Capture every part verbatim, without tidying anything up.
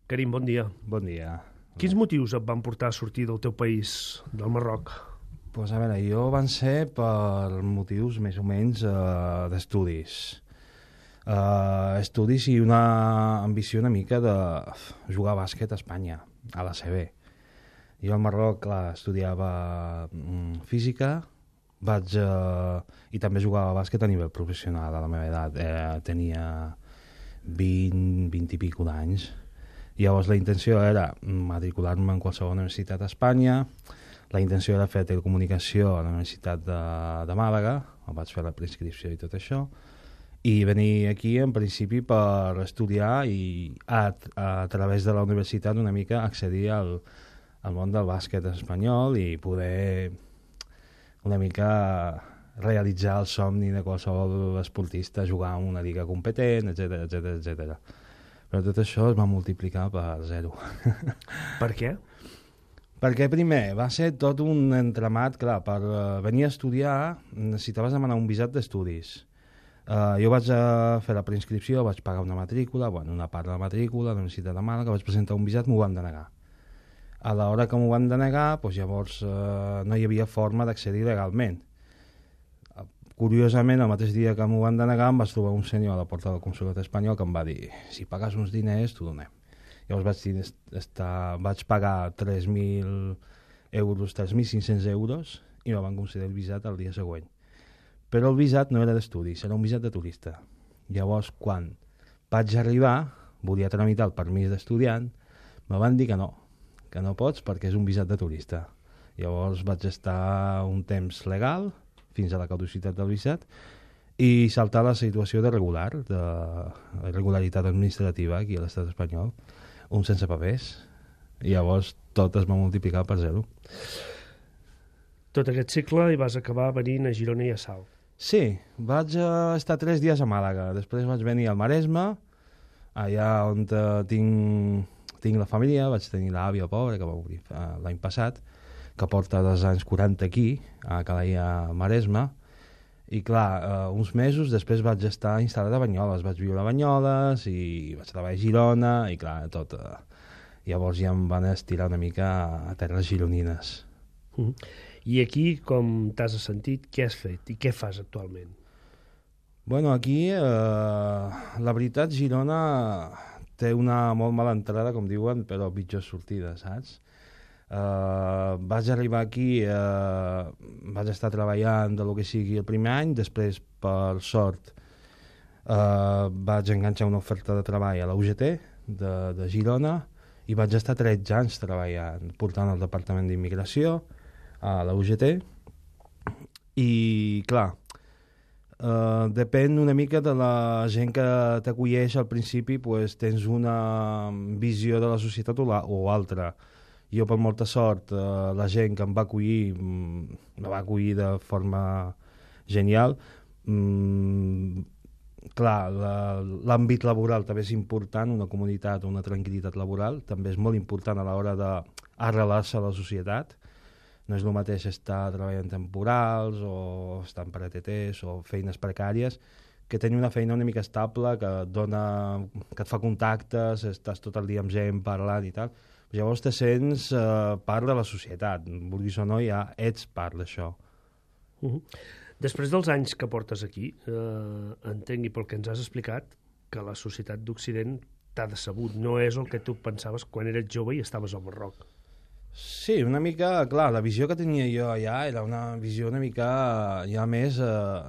Karim, bon dia. Bon dia. Quins motius et van portar a sortir del teu país, del Marroc? Pues a veure, jo van ser per motius més o menys uh, d'estudis. Uh, estudis i una ambició una mica de jugar a bàsquet a Espanya, a la C B. Jo al Marroc, clar, estudiava mm, física, vaig, uh, i també jugava a bàsquet a nivell professional a la meva edat. Eh, tenia vint, vint i pico d'anys. Llavors la intenció era matricular-me en qualsevol universitat a Espanya. La intenció era fer telecomunicació a la Universitat de, de Màlaga, vaig fer la preinscripció i tot això, i venir aquí en principi per estudiar i a, a través de la universitat una mica accedir al, al món del bàsquet espanyol i poder una mica realitzar el somni de qualsevol esportista, jugar en una lliga competent, etcètera, etcètera, etcètera. Però tot això es va multiplicar per zero. Per què? Perquè primer va ser tot un entramat, clar, per uh, venir a estudiar necessitaves demanar un visat d'estudis. Uh, jo vaig uh, fer la preinscripció, vaig pagar una matrícula, bueno, una part de la matrícula, a la Universitat de Màlaga, vaig presentar un visat, m'ho van denegar. A l'hora que m'ho van denegar, doncs llavors uh, no hi havia forma d'accedir legalment. Uh, curiosament, el mateix dia que m'ho van denegar, em vaig trobar un senyor a la porta del Consolat espanyol que em va dir si pagues uns diners, t'ho donem. Llavors vaig, estar, vaig pagar tres mil euros, tres mil cinc-cents euros i me van conceder el visat el dia següent. Però el visat no era d'estudis, era un visat de turista. Llavors, quan vaig arribar, volia tramitar el permís d'estudiant, me van dir que no, que no pots perquè és un visat de turista. Llavors vaig estar un temps legal, fins a la caducitat del visat, i saltar la situació de regular, de irregularitat administrativa aquí a l'estat espanyol, un sense papers, i llavors tot es va multiplicar per zero. Tot aquest cicle i vas acabar venint a Girona i a Salt. Sí, vaig uh, estar tres dies a Màlaga, després vaig venir al Maresme, allà on uh, tinc, tinc la família, vaig tenir l'àvia pobra que va morir uh, l'any passat, que porta dels anys quaranta aquí, a Calella, Maresme, i clar, uh, uns mesos després vaig estar instal·lat a Banyoles, vaig viure a Banyoles i vaig treballar a Girona i clar, tot. Uh, llavors ja em van estirar una mica a terres gironines. Uh -huh. I aquí, com t'has sentit, què has fet i què fas actualment? Bueno, aquí, eh, la veritat, Girona té una molt mala entrada, com diuen, però pitjor sortida, saps? Uh, vaig arribar aquí, uh, vaig estar treballant de lo que sigui el primer any, després, per sort, uh, vaig enganxar una oferta de treball a la U G T de, de Girona i vaig estar tretze anys treballant, portant el Departament d'Immigració a la U G T i, clar, uh, depèn una mica de la gent que t'acolleix al principi, pues, tens una visió de la societat o, la, o altra. Jo, per molta sort, eh, la gent que em va acollir em va acollir de forma genial. Mm, clar, l'àmbit laboral també és important, una comunitat, una tranquil·litat laboral, també és molt important a l'hora d'arrelar-se a la societat. No és el mateix estar treballant temporals o estar en per E T Ts o feines precàries, que tenir una feina una mica estable, que et dona, que et fa contactes, estàs tot el dia amb gent parlant i tal. Llavors te sents eh, part de la societat, vulguis o no, ja ets part d'això. Uh -huh. Després dels anys que portes aquí, eh, entenc, i pel que ens has explicat, que la societat d'Occident t'ha decebut, no és el que tu pensaves quan eres jove i estaves al Marroc. Sí, una mica, clar, la visió que tenia jo allà era una visió una mica ja més, eh,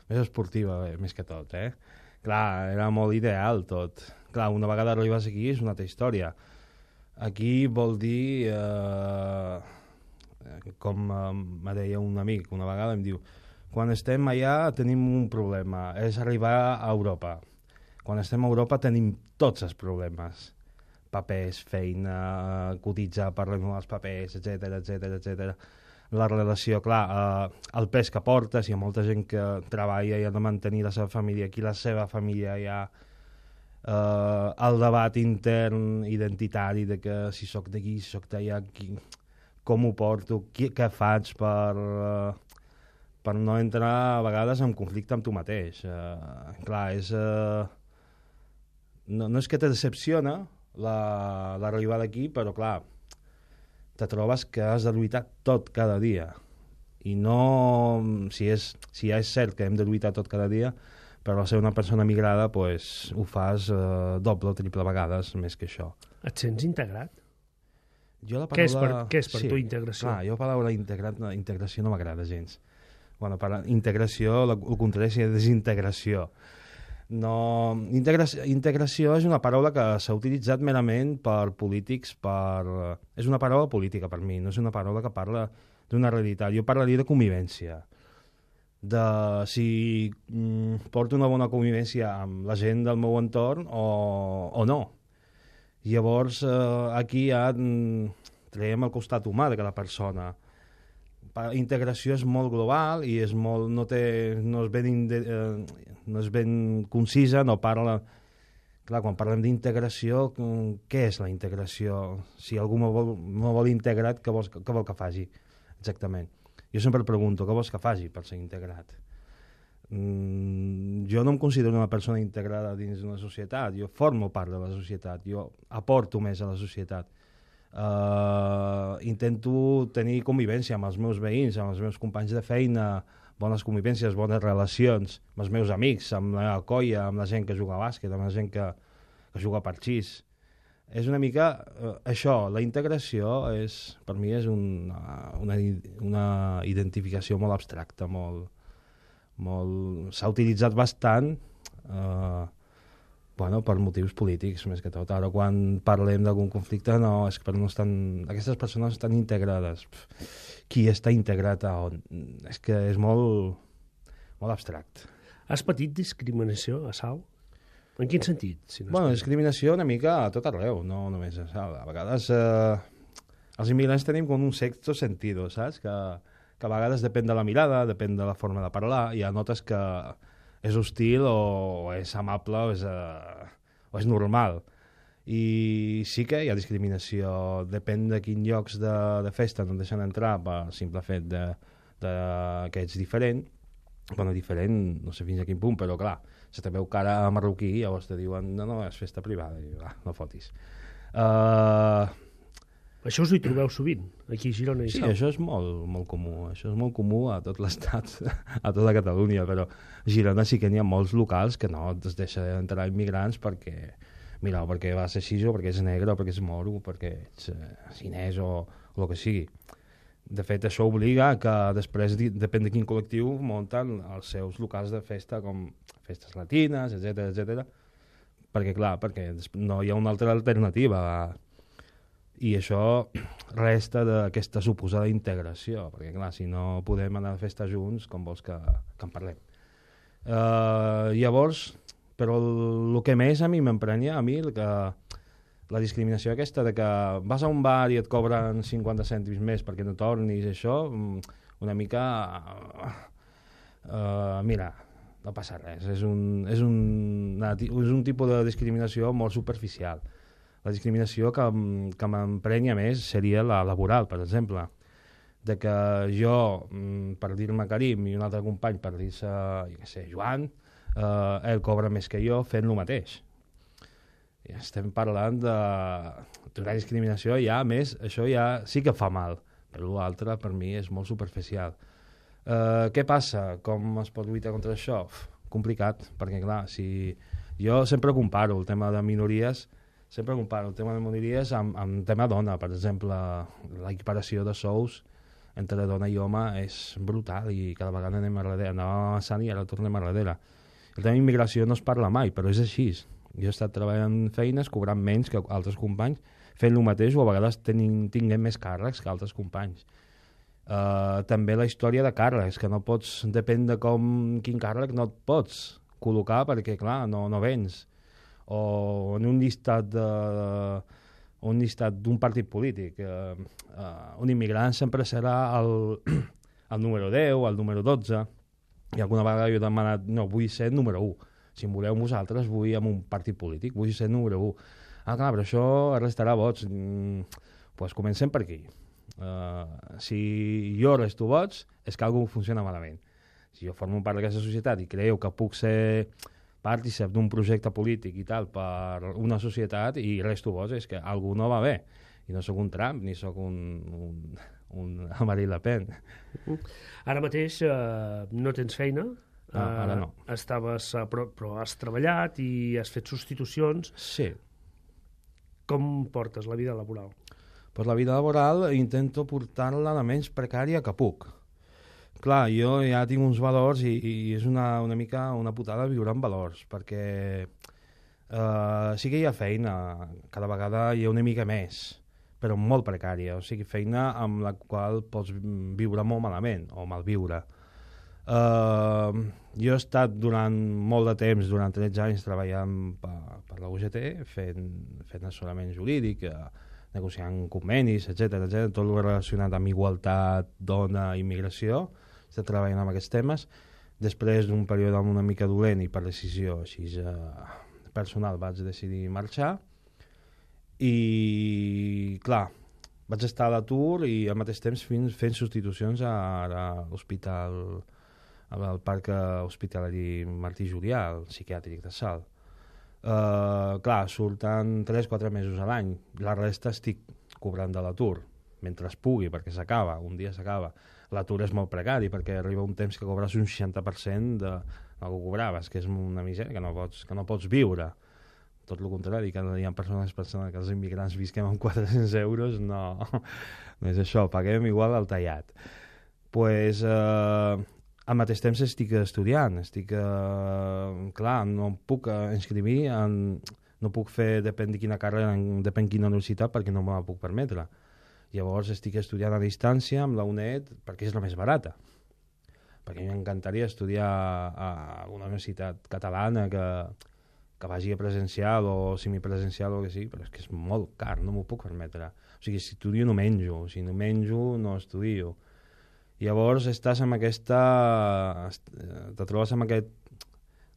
més esportiva, eh, més que tot, eh? Clar, era molt ideal tot. Clar, una vegada arribes aquí és una altra història. Aquí vol dir, eh, com eh, me deia un amic una vegada, em diu, quan estem allà tenim un problema, és arribar a Europa. Quan estem a Europa tenim tots els problemes. Papers, feina, cotitzar per renovar els papers, etcètera, etcètera, etcètera. La relació, clar, eh, el pes que portes, hi ha molta gent que treballa i ha de mantenir la seva família aquí, la seva família ja... Uh, el debat intern identitari de que si sóc d'aquí, si sóc d'allà, com ho porto, qui, què faig per, uh, per no entrar a vegades en conflicte amb tu mateix. Uh, clar, és, uh, no, no és que te decepciona, l'arribada aquí, però clar, te trobes que has de lluitar tot cada dia. I no, si, és, si ja és cert que hem de lluitar tot cada dia, però al ser una persona migrada pues, ho fas eh, doble o triple vegades més que això. Et sents integrat? Jo la paraula... Què és per, què és per sí, tu integració? Clar, jo la paraula integrat, integració no m'agrada gens. Bueno, per integració, el contrari és desintegració. No, integració, integració és una paraula que s'ha utilitzat merament per polítics, per... és una paraula política per mi, no és una paraula que parla d'una realitat. Jo parlaria de convivència, de si mm, porto una bona convivència amb la gent del meu entorn o, o no. Llavors, eh, aquí ja mm, traiem el costat humà de cada persona. La integració és molt global i és molt, no, té, no, és ben inde, eh, no és ben concisa, no parla... Clar, quan parlem d'integració, què és la integració? Si algú me vol, me vol integrat, què, vols, què vol que faci? Exactament. Jo sempre pregunto, què vols que faci per ser integrat? Mm, jo no em considero una persona integrada dins d'una societat, jo formo part de la societat, jo aporto més a la societat. Uh, intento tenir convivència amb els meus veïns, amb els meus companys de feina, bones convivències, bones relacions, amb els meus amics, amb la colla, amb la gent que juga a bàsquet, amb la gent que, que juga a parxís. És una mica uh, això, la integració és, per mi és una, una, una identificació molt abstracta, molt, molt... s'ha utilitzat bastant uh, bueno, per motius polítics, més que tot. Ara, quan parlem d'algun conflicte, no, és que no estan, aquestes persones estan integrades. Pff, qui està integrat a on? És que és molt, molt abstract. Has patit discriminació a Salt? En quin sentit? Si no bueno, discriminació una mica a tot arreu, no només a Salt. A vegades eh, els immigrants tenim com un sexto sentido, saps? Que, que a vegades depèn de la mirada, depèn de la forma de parlar, i ja notes que és hostil o, o és amable o és, uh, o és normal. I sí que hi ha discriminació, depèn de quins llocs de, de festa no et deixen entrar per simple fet de, de que ets diferent. Bueno, diferent, no sé fins a quin punt, però clar, se te veu cara marroquí i llavors te diuen no, no, és festa privada, i ah, no fotis. Uh, Això us hi trobeu sovint, aquí a Girona i sí, Salt? això és molt, molt comú. Això és molt comú a tot l'estat, a tota Catalunya, però a Girona sí que n'hi ha molts locals que no es deixa entrar immigrants perquè, mira, perquè va ser així o perquè és negre o perquè és moro o perquè ets eh, xinès o, o el que sigui. De fet, això obliga que després, depèn de quin col·lectiu, munten els seus locals de festa, com festes latines, etcètera, etcètera, perquè, clar, perquè no hi ha una altra alternativa. I això resta d'aquesta suposada integració, perquè, clar, si no podem anar a festa junts, com vols que, que en parlem? Uh, llavors, però el, el que més a mi m'emprenya, a mi, el que, la discriminació aquesta de que vas a un bar i et cobren cinquanta cèntims més perquè no tornis, això, una mica... Uh, mira, no passa res, és un, és un, és un tipus de discriminació molt superficial. La discriminació que, que m'emprenya més seria la laboral, per exemple. De que jo, per dir-me Karim, i un altre company per dir-se, jo què sé, Joan, eh, ell cobra més que jo fent el mateix. I estem parlant de d'una discriminació ja més, això ja sí que fa mal, però l'altre per mi és molt superficial. Eh, què passa? Com es pot lluitar contra això? Uf, complicat, perquè clar, si jo sempre comparo el tema de minories, sempre comparo el tema de minories amb, amb el tema dona. Per exemple, l'equiparació de sous entre dona i home és brutal i cada vegada anem a darrere. Anàvem avançant i ara tornem a darrere. El tema d'immigració no es parla mai, però és així. Jo he estat treballant feines, cobrant menys que altres companys, fent el mateix o a vegades tenim, tinguem més càrrecs que altres companys. Uh, també la història de càrrecs, que no pots, depèn de com, quin càrrec no et pots col·locar perquè, clar, no, no vens. O en un llistat de, un llistat d'un partit polític. Uh, uh, un immigrant sempre serà el, el número deu, el número dotze, i alguna vegada jo he demanat, no, vull ser número u. Si em voleu vosaltres, vull amb un partit polític, vull ser número u. Ah, clar, però això restarà vots. Mm, pues comencem per aquí. Uh, si jo resto vots, és que alguna cosa funciona malament. Si jo formo part d'aquesta societat i creieu que puc ser partícip d'un projecte polític i tal per una societat i res tu vols, és que algú no va bé. I no sóc un Trump, ni sóc un, un, un Marine Le Pen. Ara mateix eh, no tens feina, Ah, ara no. Uh, estaves, uh, però, però has treballat i has fet substitucions. Sí. Com portes la vida laboral? Pues la vida laboral intento portar-la la menys precària que puc. Clar, jo ja tinc uns valors i, i és una, una mica una putada viure amb valors, perquè uh, sí que hi ha feina, cada vegada hi ha una mica més, però molt precària, o sigui, feina amb la qual pots viure molt malament o malviure. Uh, jo he estat durant molt de temps, durant tretze anys, treballant per, per la U G T, fent, fent assessorament jurídic, uh, negociant convenis, etcètera, etcètera, tot el relacionat amb igualtat, dona, immigració. He estat treballant amb aquests temes. Després d'un període una mica dolent i per decisió així uh, personal vaig decidir marxar. I, clar, vaig estar a l'atur i al mateix temps fent, fent substitucions a, a l'hospital, al parc hospitalari Martí Julià, el psiquiàtric de Salt. Uh, clar, surten tres o quatre mesos a l'any. La resta estic cobrant de l'atur, mentre es pugui, perquè s'acaba, un dia s'acaba. L'atur és molt precari, perquè arriba un temps que cobres un seixanta per cent de, del que cobraves, que és una misèria, que no pots, que no pots viure. Tot el contrari, que hi ha persones pensant que els immigrants visquem amb quatre-cents euros, no, no és això, paguem igual al tallat. Pues, uh, al mateix temps estic estudiant, estic, uh, clar, no puc inscriure, en, no puc fer, depèn de quina carrera, depèn de quina universitat, perquè no me la puc permetre. Llavors estic estudiant a distància amb la U N E D perquè és la més barata. Perquè m'encantaria estudiar a una universitat catalana que, que vagi a presencial o semipresencial o que sigui, però és que és molt car, no m'ho puc permetre. O sigui, si estudio no menjo, si no menjo no estudio. Llavors estàs amb aquesta... te trobes amb, aquest,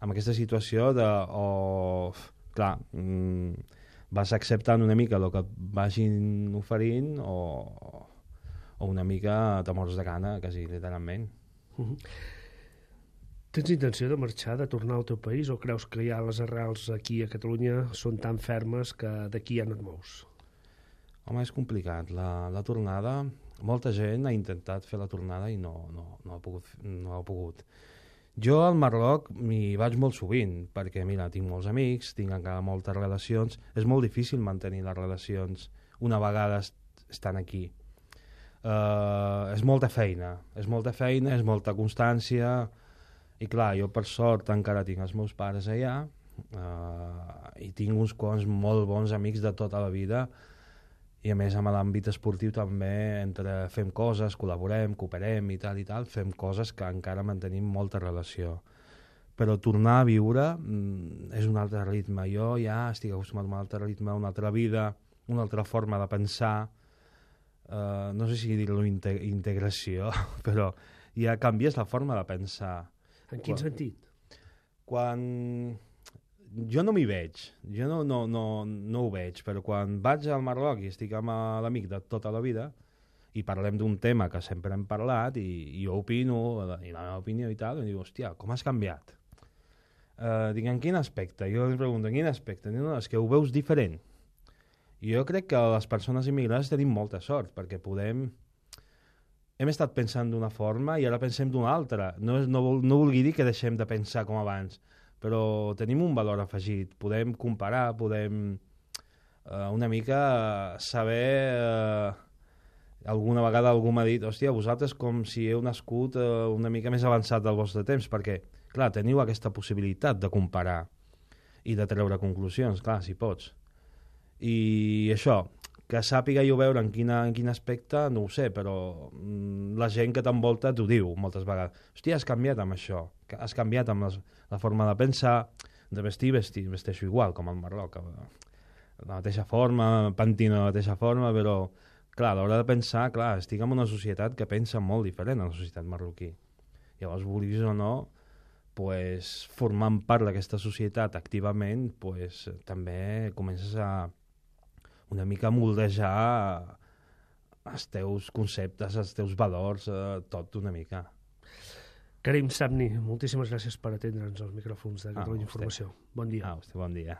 amb aquesta situació de... O, clar, mmm, vas acceptant una mica el que et vagin oferint o, o una mica te mors de gana, quasi literalment. Uh-huh. Tens intenció de marxar, de tornar al teu país, o creus que ja les arrels aquí a Catalunya són tan fermes que d'aquí ja no et mous? Home, és complicat. La, la tornada... Molta gent ha intentat fer la tornada i no, no, no, ha pogut, no ha pogut. Jo al Marroc m'hi vaig molt sovint, perquè mira, tinc molts amics, tinc encara moltes relacions. És molt difícil mantenir les relacions una vegada est estan aquí. Uh, és molta feina, és molta feina, és molta constància, i clar, jo per sort encara tinc els meus pares allà, uh, i tinc uns quants molt bons amics de tota la vida. I a més, amb l'àmbit esportiu també, entre fem coses, col·laborem, cooperem i tal i tal, fem coses que encara mantenim molta relació. Però tornar a viure mm, és un altre ritme. Jo ja estic acostumat a un altre ritme, una altra vida, una altra forma de pensar. Uh, no sé si dir-lo inte integració, però ja canvies la forma de pensar. En quin quan, sentit? Quan... Jo no m'hi veig, jo no, no, no, no ho veig, però quan vaig al Marroc i estic amb l'amic de tota la vida i parlem d'un tema que sempre hem parlat i, i jo opino, i la meva opinió i tal, i dic, hòstia, com has canviat? Uh, dic, en quin aspecte? Jo li pregunto, en quin aspecte? Dic, no, és que ho veus diferent. I jo crec que les persones immigrades tenim molta sort, perquè podem... Hem estat pensant d'una forma i ara pensem d'una altra. No, no, no vulgui dir que deixem de pensar com abans, però tenim un valor afegit, podem comparar, podem eh, una mica saber, eh, alguna vegada algú m'ha dit, hòstia, vosaltres com si heu nascut eh, una mica més avançat del vostre temps, perquè, clar, teniu aquesta possibilitat de comparar i de treure conclusions, clar, si pots. I això, que sàpiga jo veure en, quina, en quin aspecte, no ho sé, però mm, la gent que t'envolta t'ho diu moltes vegades. Hòstia, has canviat amb això, has canviat amb les, la forma de pensar, de vestir, vestir, vesteixo igual, com al Marroc, de la mateixa forma, pantino de la mateixa forma, però, clar, a l'hora de pensar, clar, estic en una societat que pensa molt diferent a la societat marroquí. Llavors, vulguis o no, pues, formant part d'aquesta societat activament, pues, també comences a una mica moldejar els teus conceptes, els teus valors, eh, tot una mica. Karim Sabni, moltíssimes gràcies per atendre'ns als micròfons de Catalunya ah, Informació. Bon dia. Ah, vostè, bon dia.